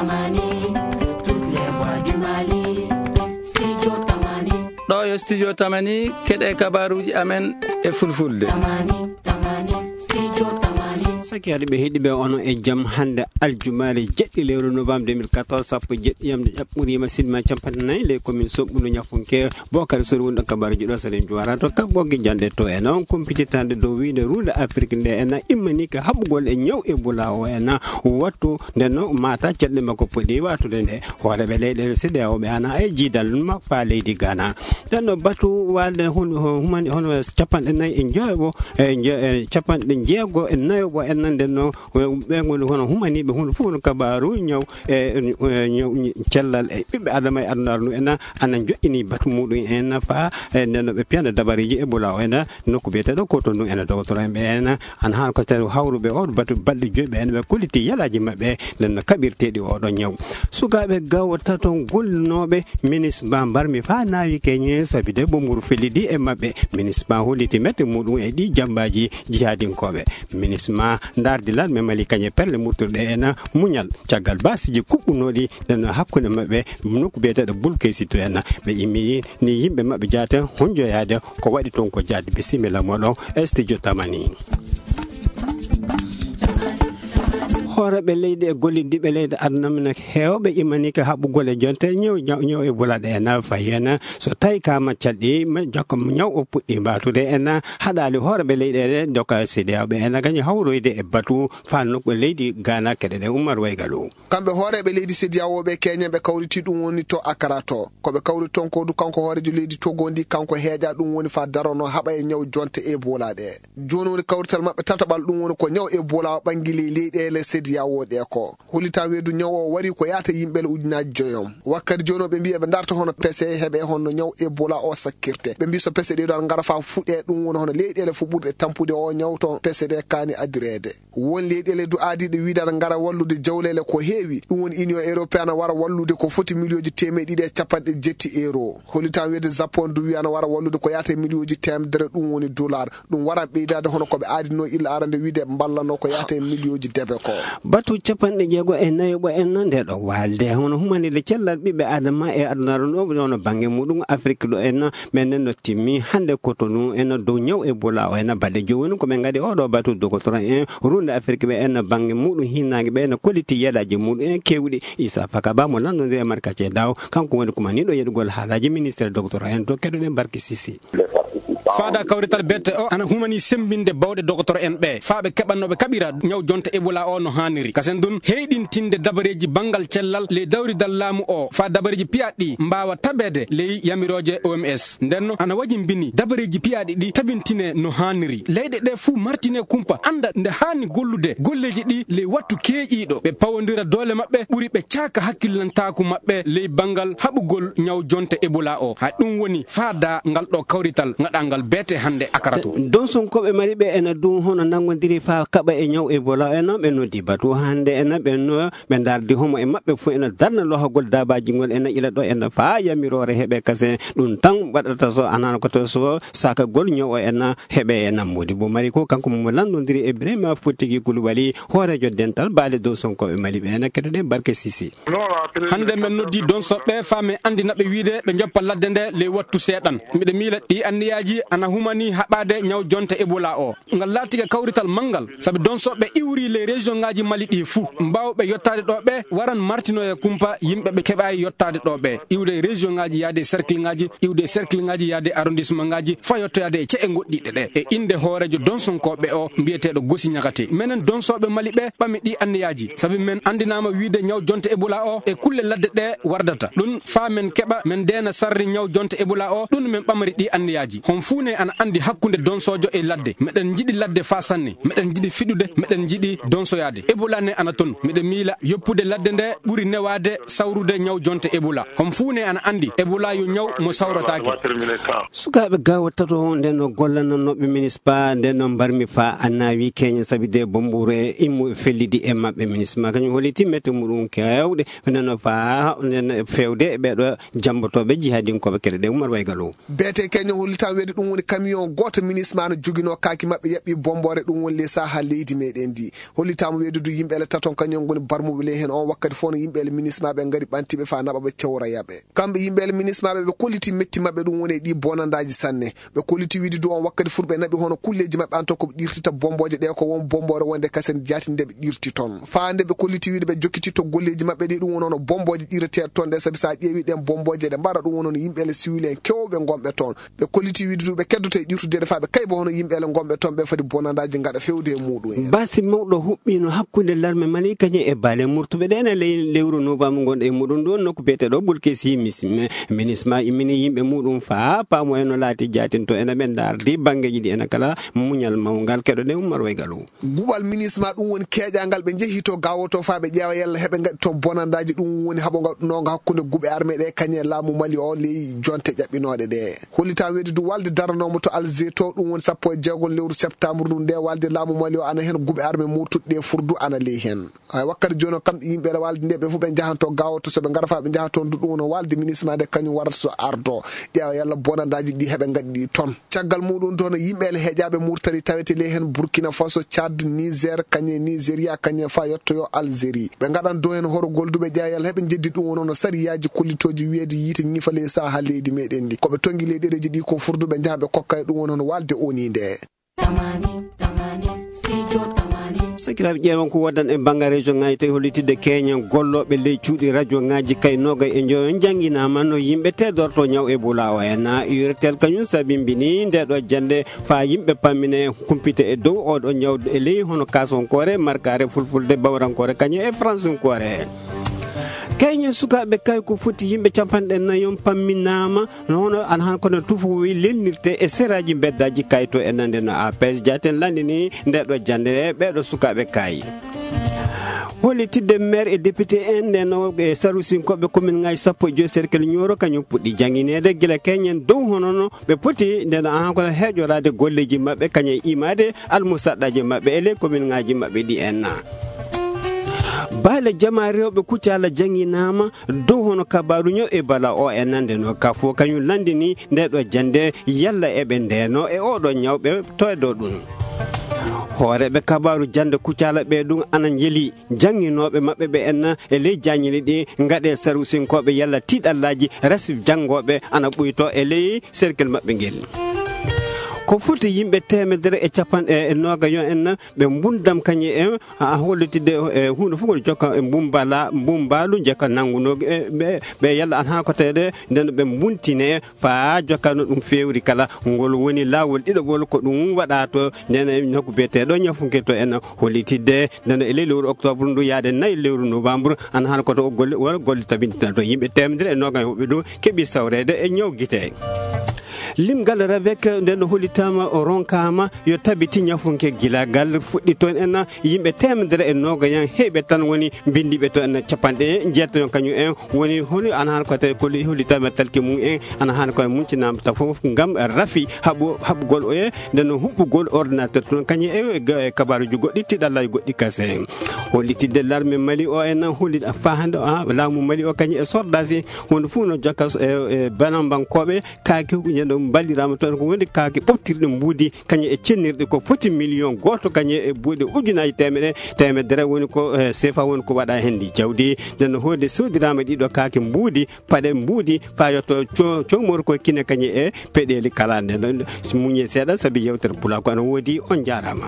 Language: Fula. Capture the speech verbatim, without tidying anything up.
Tamani, toutes les voix du Mali, Studio Tamani. Ɗo yo Studio Tamani, keɗe kabaruji amen e fulfulde. Tamani, Tamani, Studio Tamani. Sakiraaɓe heɗiiɓe, onon e jam. Hannde aljumaare jeɗɗi lewru novembre deux mille quatorze, sappo e jeɗɗi yamde ƴaɓɓuriima, sinima capanɗe nayi, ley commune Soɓɓudu Ñafunke. Bokar Sori wonɗo kabaruji ɗo, Salim Juwara to Kabbo Gijande to en on kumpititande dow wiinde ruunde Afrik nde en immani ka haɓugol e ñaw Ebola o en wattu nde no mata ceɗɗe makko poɗi watude nde. Hooreɓe leyɗeele C D A O ɓe ana e jiidal makko leydi Ghana. Ɗen ɗo batu walde hun-, humani hono capanɗe nayi e joyo, e jo-, e capanɗe jeego e nayo o en nan nden no, ɓe ngoni hono humaniɓe hunde fof no kabaru ñaw e, e, ñaw cellal e ɓiɓɓe adama e adunaaru ndu en ana joƴƴini batu muɗum en fa, e, nden no ɓe piyana dabareji Ebola o en nokku biyeteɗo Cotonou en. Dogotoro en ɓe en ana haan ko tawi hawruɓe o batu balɗe joyi ɓe en ɓe kolliti yalaaji maɓɓe nden no kaɓirteɗi oɗo ñaw. Sukaaɓe gawo tato gollinooɓe minisma mbarmi fa naawi keñe sabi de bomburu fellidi e maɓɓe. Minisma holliti mette muɗum e ɗi jambaaji jihadinkooɓe. Minisma ndardi lanme Mali kañe perle murtirɗe en muñal caggal basiji kuɓɓunooɗi nden hakkunde maɓɓe nokku biyeteɗo Bulkesi to en. Ɓe immi ni yimɓe maɓɓe jaate honjoyaade ko waɗi toon ko jaade. Bisimilla moɗon e studio Tamani. Hooreeɓe leydi e golliddiiɓe leydi aduna men heewɓe immanii ka haɓugol e jonte ñaw, ñaw, ñaw Ebola ɗe en fayi en. So tawi ka maccal ɗi, ma jokka ñaw o puɗɗi mbaatude en haɗaali hooreeɓe leyɗeele doka C D A O ɓe en gañi hawroyde e batu fa nokku leydi Ghana keɗe ɗe Umar Waygalu. Kamɓe hooreeɓe leydi C D A O ɓe keñen ɓe kawriti ɗum woni to Accra to. Ko ɓe kawri toon ko du kanko hooreejo leydi Togo ndi kanko heeƴa ɗum woni fa darono haɓa e ñaw jonte Ebola ɗe. Jooni woni kawrital maɓɓe tataɓal ɗum woni ko ñaw Ebola o ɓangi ley leyɗeele C D A O ɗe ko. Hollitan weedu ñaw o wari ko yaata yimɓe le ujunaji joyom. Wakkati jooni o ɓe mbiya ɓe darta hono pese heɓe honno ñaw Ebola o sakkirte. Ɓe mbi so pese ɗe ɗon ngara fa fuɗe ɗum woni hono leyɗeele fu ɓurɗe tampude o ñaw to pese ɗe kaani adireede. Won leyɗeele du aadiiɗe wiidaade ngara wallude jawleele ko heewi. Ɗum woni Union Européenne wara wallude ko foti miliyooji teemeɗe ɗiɗi e capanɗe jetti euro. Hollitan weedu Japon du wiya na wara wallude ko yaata e miliyooji teemedere ɗum woni dollar. Ɗum waran ɓeydaade hono ko ɓe aadinoo illa arande wiide mballano ko yaata e miliyooji debe ko. Batu capanɗe jeego e nayo ɓo en nde ɗo waalde hono humanide cellal ɓiɓɓe adama e adunaaru ɗo woni bannge muɗum Afrik ɗo en. Men nen no timmi hannde Cotonou en dow ñaw Ebola o en balɗe joyi woni ko ɓe ngadi oɗo batu dogotoro en runde Afrik ɓe en bannge muɗum hinnaange ɓe en kolliti yelaaji muɗum en kewɗi. Isa Fakaba mo lanndondiri e Marka Cedaw, kanko woni kumaniiɗo yeɗugol haalaaji ministére dogotoro en to keɗoɗen Barke Sisi. Faada kawrital bette o ana humani sembinde bawɗe dogotoro en ɓe faa ɓe keɓanno ɓe kaɓira ñaw jonte Ebola o no haaniri. Kasen dun heyɗintinde dabareeji banngal cellal ley dawridal laamu o faa dabareeji piyaɗɗi mbaawa tabeede ley yamirooje O M S. Ndenno ana wajimbini dabareeji piyaaɗi ɗi tabintine no haaniri. Leyɗe ɗe fuu martine kumpa annda nde haani gollude golleeji ɗi ley wattu keeƴiiɗo. Ɓe pawondira doole maɓɓe ɓuri ɓe caaka hakkillantaaku maɓɓe ley banngal haɓugol ñaw jonte Ebola o. Hay ɗum woni faada ngal ɗo kawrital ngaɗangal beete hannde Akara to. Donsonkooɓe mari ɓe ena dun hono nanngodiri faa kaɓa e ñaw Ebola o ena ɓe noddi batu hannde ena ɓe no ɓe ndardi homo e maɓɓe fof ena darna lohagol daabaaji ngol ena ila ɗo ena faa yamiroore heɓe kase. Ɗum tan waɗata so anana ko to so sakagol ñaw o ena heɓe e nammude bo mari ko kanko mo lanndondiri e Ibrahima Fottigi Kulubali hooreejo dental baale dow sonkoɓe Mali ɓe ena keɗoɗen Barke Sisi. Hannde men noddi donsoɓe faa men anndina ɓe wiide ɓe njoppa ladde nde ley wattu seeɗan. Miɗo miila ɗi anniyaaji ana humani haɓaade ñaw jonte Ebola o. Ngal laatike kawrital manngal, sabi donsoɓe iwri ley région ŋaaji Mali ɗi fuu. Mbaawɓe yottaade ɗo ɓe waran martinoye kumpa yimɓe ɓe keɓaayi yottaade ɗo ɓe. Iwde e région ŋaaji yaade e cercle ŋaaji, iwde e cercle ŋaaji yaade e arrondissement ŋaaji, faa yottoyaade e ce'e ngoɗɗiɗe ɗe. E innde hooreejo donsonkooɓe o, mbiyeteeɗo Gosi Ñagate. Menen donsoɓe Mali ɓe ɓami ɗi anniyaaji, sabi men anndinaama wiide ñaw jonte Ebola o e kulle ladde ɗe wardata. Ɗum faa men keɓa men ndeena sarri ñaw jonte Ebola o, ɗum men ɓamri ɗi anniyaaji. Hon fuu ne ana anndi hakkunde donsoojo e ladde. Meɗen njiɗi ladde faa sanne. Meɗen njiɗi fiɗude, meɗen njiɗi donsoyaade. Ebola ne ana ton. Miɗo miila yoppude ladde nde ɓuri newaade sawrude ñaw jonte Ebola. Hon fuu ne ana anndi Ebola yo ñaw mo sawrataake. Sukaaɓe gawo tato nden no gollanannooɓe minispa nden no mbarmi faa annawi keñe sabi de bombure immu e fellidi e maɓɓe. Minispa kañum holliti mette muɗum kewɗe nden no faa nden no fewde e ɓeɗo jambotooɓe jihadinkooɓe keɗe ɗe Umar Waygalo. Beete keñe hollitan weede ɗum Woni camion gooto MINUSMA no joginoo kaaki maɓɓe yaɓɓi bomboore, ɗum woni ley saha leydi meɗen ndi. Hollitaama weedudu yimɓe ele taton kañum ngoni barmuɓe ley heen on wakkati fof no yimɓe ele MINUSMA ɓe ngari ɓantiɓe faa naɓa ɓe cewra yaɓe. Kamɓe yimɓe ele MINUSMA ɓe, ɓe kolliti metti maɓɓe ɗum woni e ɗi bonandaaji sanne. Ɓe kolliti wiide du on wakkati fur ɓe naɓi hono kulleeji maɓɓe en to ko ɓe ɗirtita bomboje ɗe ko won bomboore wonde kasen jaati nde ɓe ɗirti toon. Faa nde ɓe kolliti wiide ɓe jokkititto golleeji maɓɓe ɗi ɗum woni hono bomboje ɗireteeɗe toon ɗe sabi so a ƴeewi ɗen bomboje ɗe mbaɗa ɗum woni hono yimɓe ele siwil en kewɓe ngonɓe toon. Ɓe kolliti wiide du ɓe keddoto e ƴirtude ɗe faa ɓe kayba hono yimɓe ele ngonɓe toon ɓe fadi bonandaaji ngaɗa fewde e muɗum en. Baasi mawɗo huɓɓiino hakkunde larme Mali kañum e baale murtuɓe ɗe ene ley lewru novembre ngonɗo e muɗum ɗo nokku biyeteeɗo Bulkesi Mis-, MINUSMA immini yimɓe muɗum faa paamo en no laati jaatinto ene ɓe ndaardi banngeeji ɗi ene kala muñal mawngal keɗoɗen Ummar Waygalu. Guɓal MINUSMA ɗum woni keeƴangal ɓe njehi to gawoto faa ɓe ƴeewa yalla heɓe ngaɗi toon bonandaaji ɗum woni haɓo ngaɗunooga hakkunde guɓe arme ɗe kañum e laamu Mali o ley jonte ƴaɓɓinooɗe ɗe. Hollitaama weedudu walde daranoomo to Alger to ɗum woni sappo e jeegom lewru septembre ndu nde walde laamu Mali o ana heen guɓe arme murtuɗe ɗe fur du ana ley heen. Hay wakkati jooni o kamɓe yimɓe ele walde nde ɓe fof ɓe njahanto gawoto so ɓe ngara faa ɓe njaha toon du ɗum woni walde MINUSMA nde kañum warata so ardo ƴeewa yalla bonandaaji ɗi heɓe ngaɗi ɗi toon. Caggal muɗum toon yimɓe ele heeƴaaɓe Murtani tawete ley heen Burkina Faso, Tchad, Niger, kañum e Nigeria, kañum e faa yettoyo Algérie. Ɓe ngaɗan dow heen horogol du ɓe ƴeewa yalla heɓe njeddi ɗum woni hono sariyaaji kollitooji wiyeede yiite ñifa ley saha leydi meɗen ndi. Ko ɓe tongi ley ɗereeji ɗi ko fur du ɓe njaha ɓe kokka e ɗum woni hono walde O N U nde. Tamani, tamani, studio tamani. Sakiraaɓe ƴeewan ko woddan e banngal région ŋaaji tawi hollitidde keñen gollooɓe ley cuuɗi radio ŋaaji kay noogay e njoyo njannginaama no yimɓe teedorto ñaw Ebola o en. Urtel kañum sabimbini nde ɗo jannde faa yimɓe pammine kumpite e dow oɗo ñaw e ley hono Kaasonkoore, Markaare, Fulfulde, Bawrankoore, kañum e Fransunkoore. Keñen sukaaɓe kay ko foti yimɓe capanɗe nayon pamminaama, no hono ana han kono tufowi lelnirte e seraaji mbeddaaji kay to e nande no A P S Diaten lanndini nde ɗo jannde ɓeeɗo sukaaɓe kay. Hollitidde maire e député en nde no e sarusinkoɓe commune ŋaaji sappo e joy cercle Nioro kañum puɗɗi janngineede gila keñen dow hono no ɓe poti nde no ana kono heeƴoraade golleeji maɓɓe kañum e imaade almusaɗɗaaji maɓɓe e ley commune ŋaaji maɓɓe ɗi en. Baale jama rewɓe Kucala jannginaama dow hono kabaaru ñaw Ebola o e nande no ka fof kañum lanndini nde ɗo jannde yalla eɓe ndeno e oɗo ñaw ɓe toydo ɗum. Hooreeɓe kabaaru jannde Kucala ɓe ɗum ana njeli jannginooɓe maɓɓe ɓe en e ley jaañili ɗi ngaɗe sarusinkooɓe yalla tiiɗallaaji rasi janngooɓe ana ɓuyto e ley cercle maɓɓe ngel. Ko foti yimɓe teemedere e capanɗe e noogayo en ɓe mbundam kañum e a hollitidde e huunde fof ngol jokka e mbumbala, mbumbalu jokka nannguno e ɓe, ɓe yalla an haa ko tawde nden ɓe mbuntine faa jokka no ɗum feewri kala ngol woni laawol ɗiɗaɓol ko ɗum waɗa to nden e nokku biyeteeɗo ñafunke to en hollitidde nden e ley lewru octobre ndu yaade nayi lewru novembre an haa ko to golle, won golle tabintina to yimɓe teemedere e noogayo woɓɓe ɗum keɓi sawreede e ñaw gite. Limgal ravec nden ɗo hollitaama o ronkaama yo tabiti ñafunke gila gal fuɗɗi toon en yimɓe teemedere e noogayan heɓe tan woni mbindiiɓe toon en capanɗe jeetato kañum en woni holi ana hano ko tawi koli hollitaama talki mum en ana hano ko muncinaama ta fof ngam rafi haɓu haɓugol o e nden huɓɓugol ordinateur toon kañum e ga- e kabaruji goɗɗi tiɗallaji goɗɗi kase. Hollitidde larme Mali o en holli fahande a laamu Mali o kañum e sordasi wonde fof no jokka e e banambankooɓe kaake huɓɓinɗe ɗo mballiraama toon ko woni kaake ɓoftirɗe mbuudi kañum e cennirɗe ko foti million gooto kañum e buuɗe ujunaaji teemeɗe teemedere woni ko e sefa woni ko waɗa heen ndi jawdi nden no hoode soodiraama ɗiɗo kaake mbuudi paɗe mbuudi faa yotto co- cowmor ko kine kañum e peɗeeli kala nden muñe seeɗa sabi yewtere pula ko ana woodi on njaaraama.